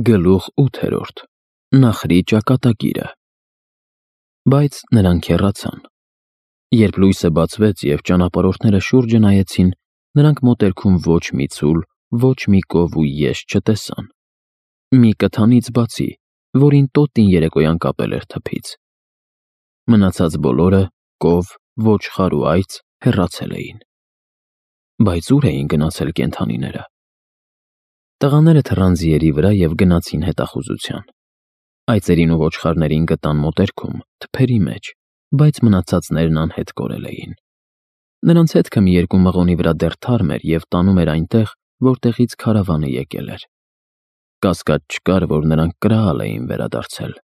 Գլուխ 8. Նախրի ճակատագիրը։ Բայց նրանք հեռացան։ Երբ լույսը բացվեց և ճանապարհորդները շուրջը նայեցին, նրանք մոտերքում ոչ մի ցուլ, ոչ մի կով ու եշ չտեսան։ Մի կթանից բացի, որին տոտին երեկոյան կապել էր թփից։ Մնացած բոլորը՝ կով, ոչխար ու այծ, հեռացել էին։ Բայց ուր էին գնացել կենդանիները։ Տղաները թռան ձիերի վրա և գնացին հետախուզության։ Այծերին ու ոչխարներին գտան մոտերքում, թփերի մեջ, բայց մնացածներն անհետ կորել էին։ Նրանց հետքը մի երկու մղոնի վրա դեռ թարմ էր և տանում էր այնտեղ, որտեղից քարավանը եկել էր։ Կասկած չկար, որ նրանք կրահալ էին վերադարձել։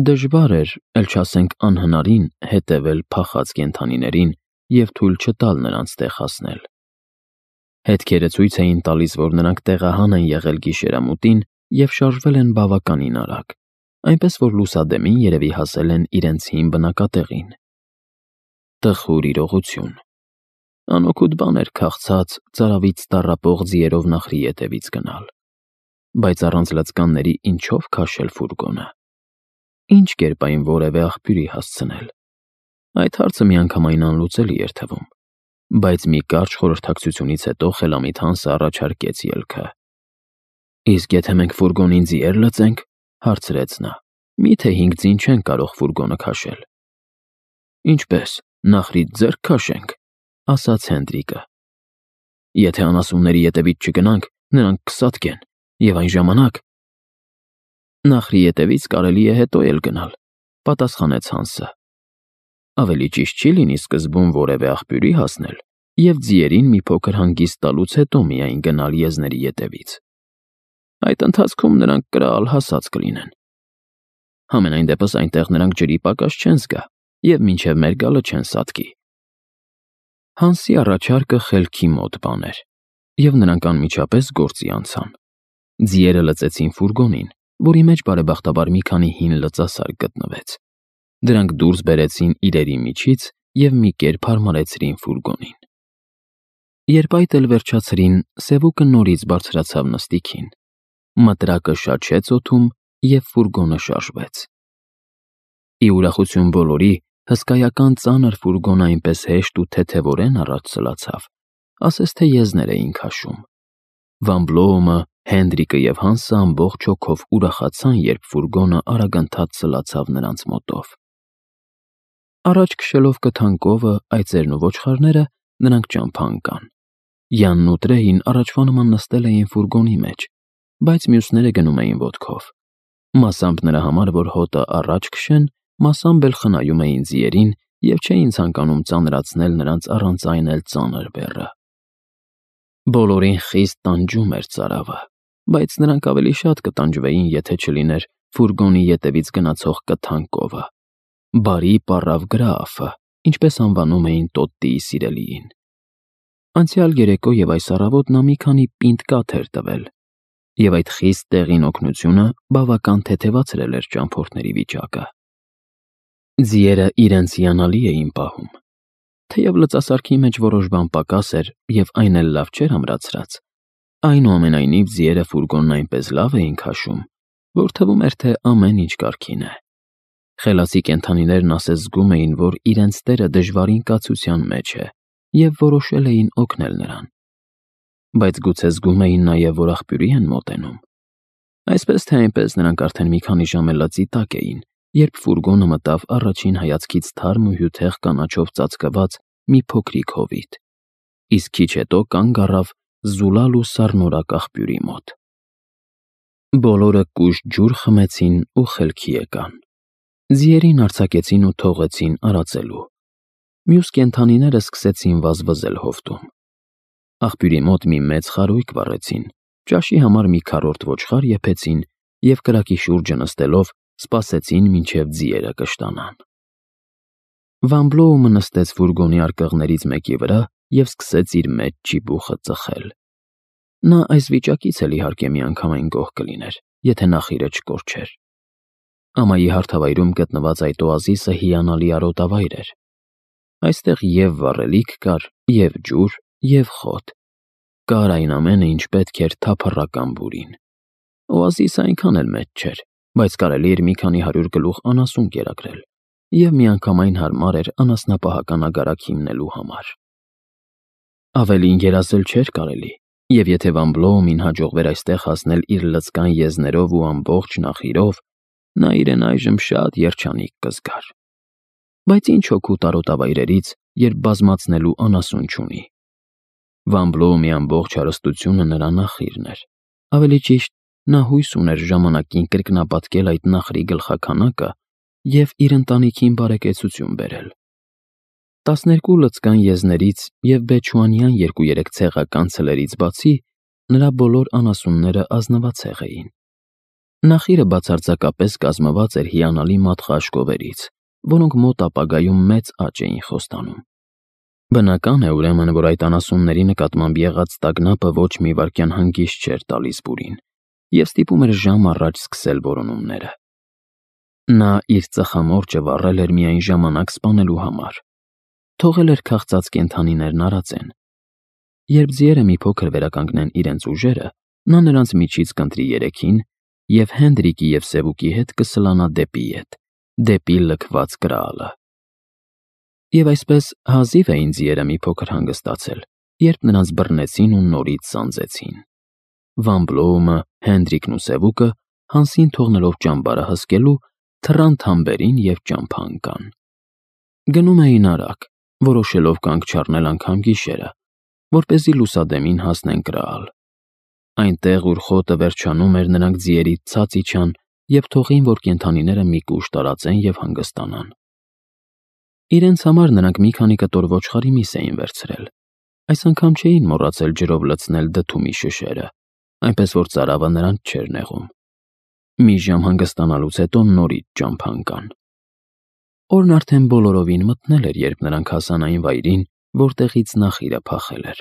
Դժվար էր, էլ չասենք անհնարին, հետևել փախած կենդանիներին և թույլ չտալ նրանց տեղ հասնել։ Հետքերը ցույց էին տալիս, որ նրանք տեղահան են եղել գիշերամուտին և շարժվել են բավականին արագ, այնպես որ լուսադեմին երևի հասել են իրենց հին բնակատեղին։ Տխուր իրողություն։ Անօգուտ բան էր քաղցած, ծարավից տառապող ձիերով նախրի ետևից գնալ։ Բայց առանց լծկանների ինչով քաշել ֆուրգոնը։ Ինչ կերպ այն որևէ աղբյուրի հասցնել։ Այդ հարցը միանգամայն անլուծելի էր թվում։ Բայց մի կարճ խորհրդակցությունից հետո խելամիտ Հանսը առաջարկեց ելքը։ Իսկ եթե մենք ֆուրգոնին ձիեր լծենք, հարցրեց նա, միթե 5 ձին չեն կարող ֆուրգոնը քաշել։ Ինչպես, նախրից ձեռք քաշենք, ասաց Հենդրիկը։ Եթե անասունների ետևից չգնանք, նրանք կսատկեն, և այն ժամանակ… Նախրի ետևից կարելի է հետո էլ գնալ, պատասխանեց Հանսը։ Ավելի ճիշտ չի լինի սկզբում որևէ աղբյուրի հասնել և ձիերին մի փոքր հանգիստ տալուց հետո միայն գնալ եզների ետևից։ Այդ ընթացքում նրանք կրահալ հասած կլինեն։ Համենայն դեպս այնտեղ նրանք ջրի պակաս չեն զգա և մինչև մեր գալը չեն սատկի։ Հանսի առաջարկը խելքի մոտ բան էր, և նրանք անմիջապես գործի անցան։ Ձիերը լծեցին ֆուրգոնին, որի մեջ բարեբախտաբար մի քանի հին լծասար գտնվեց։ Դրանք դուրս բերեցին իրերի միջից և մի կերպ հարմարեցրին ֆուրգոնին։ Երբ այդ էլ վերջացրին, Սևուկը նորից բարձրացավ նստիքին։ Մտրակը շաչեց օդում, և ֆուրգոնը շարժվեց։ Ի ուրախություն բոլորի, հսկայական ծանր ֆուրգոնը այնպես հեշտ ու թեթևորեն առաջ սլացավ, ասես թե եզներ էին քաշում։ Վան Բլոումը, Հենդրիկը և Հանսը ամբողջ հոգով ուրախացան, երբ ֆուրգոնը արագընթաց սլացավ նրանց մոտով։ Առաջ քշելով կթան կովը, այծերն ու ոչխարները, նրանք ճամփա ընկան։ Յանն ու Տրեյին առաջվա նման նստել էին ֆուրգոնի մեջ, բայց մյուսները գնում էին ոտքով։ Մասամբ նրա համար, որ հոտը առաջ քշեն, մասամբ էլ խնայում էին ձիերին և չէին ցանկանում ծանրացնել նրանց առանց այն էլ ծանր բեռը։ Բոլորին խիստ տանջում էր ծարավը, բայց նրանք ավելի շատ կտանջվեին, եթե չլիներ ֆուրգոնի ետևից գնացող կթան կովը։ Բարի պառավ Գրաաֆը, ինչպես անվանում էին Տոտտիի սիրելիին։ Անցյալ երեկո և այս առավոտ նա մի քանի պինդ կաթ էր տվել, և այդ խիստ տեղին օգնությունը բավական թեթևացրել էր ճամփորդների վիճակը։ Ձիերը իրենց հիանալի էին պահում։ Թեև լծասարքի մեջ որոշ բան պակաս էր և այն էլ լավ չէր ամրացրած, այնուամենայնիվ ձիերը ֆուրգոնն այնպես լավ էին քաշում, որ թվում էր, թե ամեն ինչ կարգին է։ Խելացի կենդանիներն ասես զգում էին, որ իրենց տերը դժվարին կացության մեջ է, և որոշել էին օգնել նրան։ Բայց գուցե զգում էին նաև, որ աղբյուրի են մոտենում։ Այսպես թե այնպես նրանք արդեն մի քանի ժամ էլ լծի տակ էին, երբ ֆուրգոնը մտավ առաջին հայացքից թարմ ու հյութեղ կանաչով ծածկված մի փոքրիկ հովիտ, իսկ քիչ հետո կանգ առավ զուլալ ու սառնորակ աղբյուրի մոտ։ Բոլորը կուշտ ջուր խմեցին ու խելքի եկան։ Ձիերին արձակեցին ու թողեցին արածելու։ Մյուս կենդանիները սկսեցին վազվզել հովտում։ Աղբյուրի մոտ մի մեծ խարույկ վառեցին, ճաշի համար մի քառորդ ոչխար եփեցին և կրակի շուրջը նստելով սպասեցին, մինչև ձիերը կշտանան։ Վան Բլոումը նստեց ֆուրգոնի արկղներից մեկի վրա և սկսեց իր մեջ ճիբուխը ծխել։ Նա այս վիճակից էլ իհարկե միանգամայն գոհ կլիներ, եթե նախիրը չկորչեր։ Ամայի հարթավայրում գտնված այդ օազիսը հիանալի արոտավայր էր։ Այստեղ և վառելիք կար, և ջուր, և խոտ։ Կար այն ամենը, ինչ պետք էր թափառական բուրին։ Օազիսը այնքան էլ մեծ չէր, բայց կարելի էր մի քանի 100 գլուխ անասուն կերակրել, և միանգամայն հարմար էր անասնապահական ագարակ հիմնելու համար։ Ավելին երազել չէր կարելի, և եթե Վան Բլոումին հաջողվեր այստեղ հասնել իր լծկան եզներով ու ամբողջ նախիրով, նա իրեն այժմ շատ երջանիկ կզգար։ Բայց ինչ օգուտ արոտավայրերից, երբ բազմացնելու անասուն չունի։ Վան Բլոումի ամբողջ հարստությունը նրա նախիրն էր, ավելի ճիշտ, նա հույս ուներ ժամանակին կրկնապատկել այդ նախրի գլխաքանակը և իր ընտանիքին բարեկեցություն բերել։ 12 լծկան եզներից և բեչուանյան 2-3 ցեղական ցլերից բացի, նրա բոլոր անասունները ազնվացեղ էին։ Նախիրը բացարձակապես կազմված էր հիանալի մատխաշկովերից, որոնք մոտ ապագայում մեծ աճ էին խոստանում։ Բնական է, ուրեմն, որ այդ անասունների նկատմամբ եղած տագնապը ոչ մի վայրկյան հանգիստ չէր տալիս բուրին և ստիպում էր ժամ առաջ սկսել որոնումները։ Նա իր ծխամորճը վառել էր միայն ժամանակ սպանելու համար։ Թողել էր քաղցած կենդանիներն արածեն։ Երբ ձիերը մի փոքր վերականգնեն իրենց ուժերը, նա նրանց միջից կընտրի 3-ին և Հենդրիկի և Սևուկի հետ կսլանա դեպի ետ, դեպի լքված Գրաալը։ Եվ այսպես հազիվ էին ձիերը մի փոքր հանգստացել, երբ նրանց բռնեցին ու նորից սանձեցին։ Վան Բլոումը, Հենդրիկն ու Սևուկը, Հանսին թողնելով ճամբարը հսկելու, թռան թամբերին և ճամփա ընկան։ Գնում էին արագ, որոշելով կանգ չառնել անգամ գիշերը, որպեսզի լուսադեմին հասնեն Գրաալ։ Այնտեղ, ուր խոտը վերջանում էր, նրանք ձիերից ցած իջան և թողին, որ կենդանիները մի կուշ տարածեն և հանգստանան։ Իրենց համար նրանք մի քանի կտոր ոչխարի միս էին վերցրել։ Այս անգամ չէին մոռացել ջրով լցնել դդումի շշերը, այնպես որ ծարավը նրանց չէր նեղում։ Մի ժամ հանգստանալուց հետո նորից ճամփա ընկան։ Օրն արդեն բոլորովին մթնել էր, երբ նրանք հասան այն վայրին, որտեղից նախիրը փախել էր։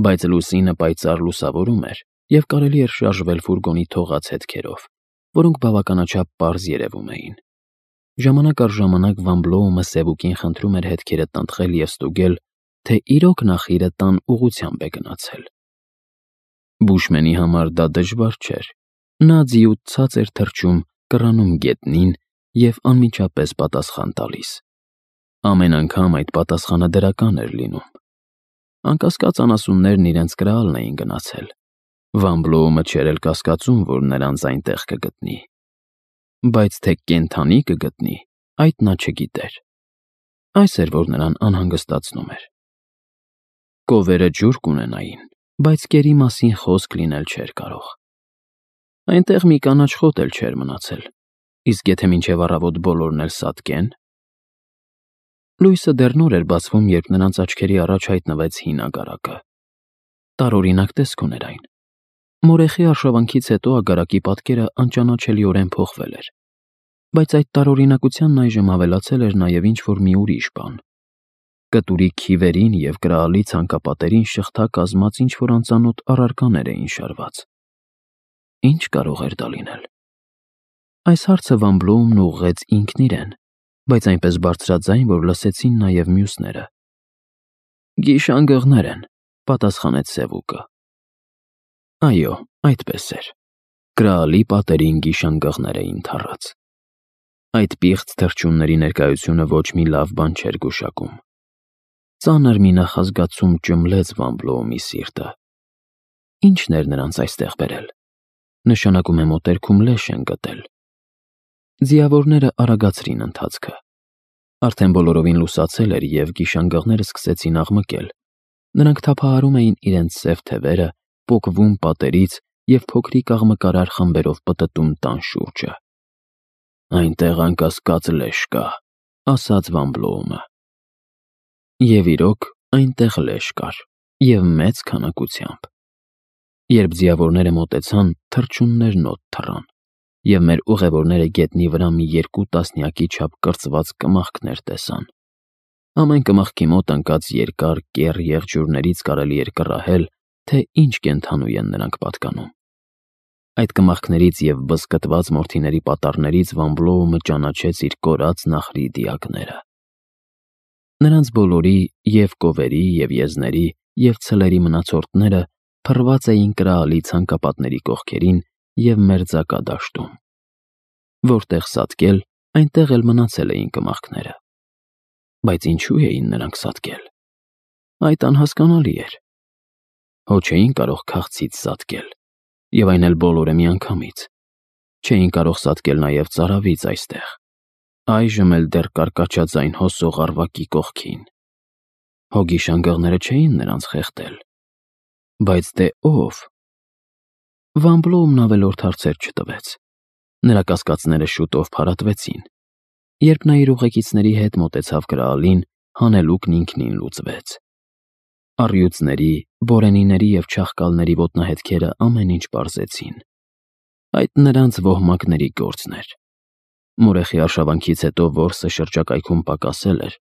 Բայց լուսինը պայծառ լուսավորում էր, և կարելի էր շարժվել ֆուրգոնի թողած հետքերով, որոնք բավականաչափ պարզ երևում էին։ Ժամանակ առ ժամանակ Վան Բլոումը Սևուկին խնդրում էր հետքերը տնտղել և ստուգել, թե իրոք նախիրը տան ուղղությամբ է գնացել։ Բուշմենի համար դա դժվար չէր։ Նա ձիուց ցած էր թռչում, կռանում գետնին և անմիջապես պատասխան տալիս։ Ամեն անգամ այդ պատասխանը դրական էր լինում։ Անկասկած անասուններն իրենց Գրաալն էին գնացել։ Վան Բլոումը չէր էլ կասկածում, որ նրանց այնտեղ կգտնի։ Բայց թե կենդանի կգտնի, այդ նա չգիտեր։ Այս էր, որ նրան անհանգստացնում էր։ Կովերը ջուր կունենային, բայց կերի մասին խոսք լինել չէր կարող։ Այնտեղ մի կանաչ խոտ էլ չէր մնացել, իսկ եթե մինչև առավոտ բոլորն էլ սատկեն… Լույսը դեռ նոր էր բացվում, երբ նրանց աչքերի առաջ հայտնվեց հին ագարակը։ Տարօրինակ տեսք ուներ այն։ Մորեխի արշավանքից հետո ագարակի պատկերը անճանաչելիորեն փոխվել էր։ Բայց այդ տարօրինակությանն այժմ ավելացել էր նաև ինչ-որ մի ուրիշ բան։ Կտուրի քիվերին և Գրաալի ցանկապատերին շղթա կազմած ինչ-որ անծանոթ առարկաներ էին շարված։ Ինչ կարող էր դա լինել։ Այս հարցը Վան Բլոումն ուղղեց ինքն իրեն, բայց այնպես բարձրաձայն, որ լսեցին նաև մյուսները։ Գիշանգղներ են, պատասխանեց Սևուկը։ Այո, այդպես էր։ Գրաալի պատերին գիշանգղներ էին թառած։ Այդ պիղծ թռչունների ներկայությունը ոչ մի լավ բան չէր գուշակում։ Ծանր մի նախազգացում ճմլեց Վան Բլոումի սիրտը։ Ի՞նչն էր նրանց այստեղ բերել։ Նշանակում է մոտերքում լեշ են գտել։ Ձիավորները արագացրին ընթացքը։ Արդեն բոլորովին լուսացել էր, և գիշանգղները սկսեցին աղմկել։ Նրանք թափահարում էին իրենց սև թևերը, պոկվում պատերից և փոքրիկ աղմկարար խմբերով պտտում տան շուրջը։ Այնտեղ անկասկած լեշ կա, ասաց Վան Բլոումը։ Եվ իրոք, այնտեղ լեշ կար, և մեծ քանակությամբ։ Երբ ձիավորները մոտեցան, թռչուններն օդ թռան, և մեր ուղևորները գետնի վրա մի 2 տասնյակի չափ կրծված կմախքներ տեսան։ Ամեն կմախքի մոտ ընկած երկար կեռ եղջյուրներից կարելի էր կռահել, թե ինչ կենդանու են նրանք պատկանում։ Այդ կմախքներից և բզկտված մորթիների պատառներից Վան Բլոումը ճանաչեց իր կորած նախրի դիակները։ Նրանց բոլորի, և կովերի, և եզների, և ցլերի մնացորդները փռված էին Գրաալի ցանկապատների կողքերին և մերձակա դաշտում։ Որտեղ սատկել, այնտեղ էլ մնացել էին կմախքները։ Բայց ինչու էին նրանք սատկել։ Այդ անհասկանալի էր։ Հո չէին կարող քաղցից սատկել, և այն էլ բոլորը միանգամից։ Չէին կարող սատկել նաև ծարավից այստեղ։ Այժմ էլ դեռ կարկաչաձայն հո սողառվակի կողքին։ Հո գիշանգղները չէին նրանց խեղդել։ Բայց դե ո՞վ։ Վան Բլոումն ավելորդ հարցեր չտվեց։ Նրա կասկածները շուտով փարատվեցին։ Երբ նա իր ուղեկիցների հետ մոտեցավ կրակալին, հանելուկն ինքնին լուծվեց։ Առյուծների, բորենիների և չաղկալների ոտնահետքերը ամեն ինչ պարզեցին։ Այդ նրանց ոհմակների գործն էր։ Մորեխի արշավանքից հետո որսը շրջակայքում պակասել էր,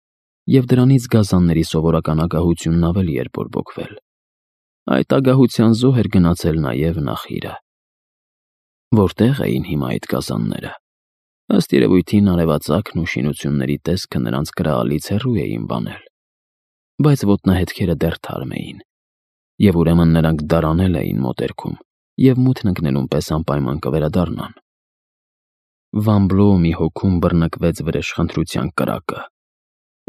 և դրանից գազանների սովորական ագահությունն ավելի էր բորբոքվել։ Այդ ագահության զոհ էր գնացել նաև Նախիրը։ Որտե՞ղ էին հիմա այդ գազանները։ Ըստ երևույթին արևածագն ու շինությունների տեսքը նրանց կրակալից հեռու էին բանել։ Բայց ոտնահետքերը դեռ թարմ էին, և ուրեմն նրանք դարանել էին մոտերքում և մութն ընկնելուն պես անպայման կվերադառնան։ Վան Բլոումի հոգում բռնկվեց վրեժխնդրության կրակը։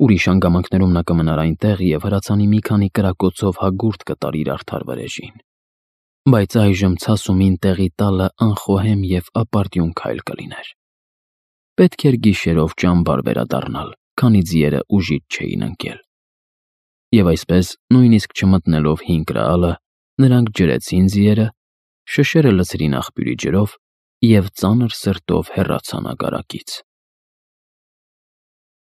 Ուրիշ հանգամանքներում նա կմնար այնտեղ և հրացանի մի քանի կրակոցով հագուրդ կտար իր արդար վրեժին։ Բայց այժմ ցասումին տեղի տալը անխոհեմ և ապարդյուն քայլ կլիներ։ Պետք էր գիշերով ճամբար վերադառնալ, քանի ձիերը ուժիչ չէին ընկել։ Եվ այսպես, նույնիսկ չմտնելով հին կրակալը, նրանք ջրեցին ձիերը, շշերը լցրին աղբյուրի ջրով և ծանր սրտով հեռացան ագարակից։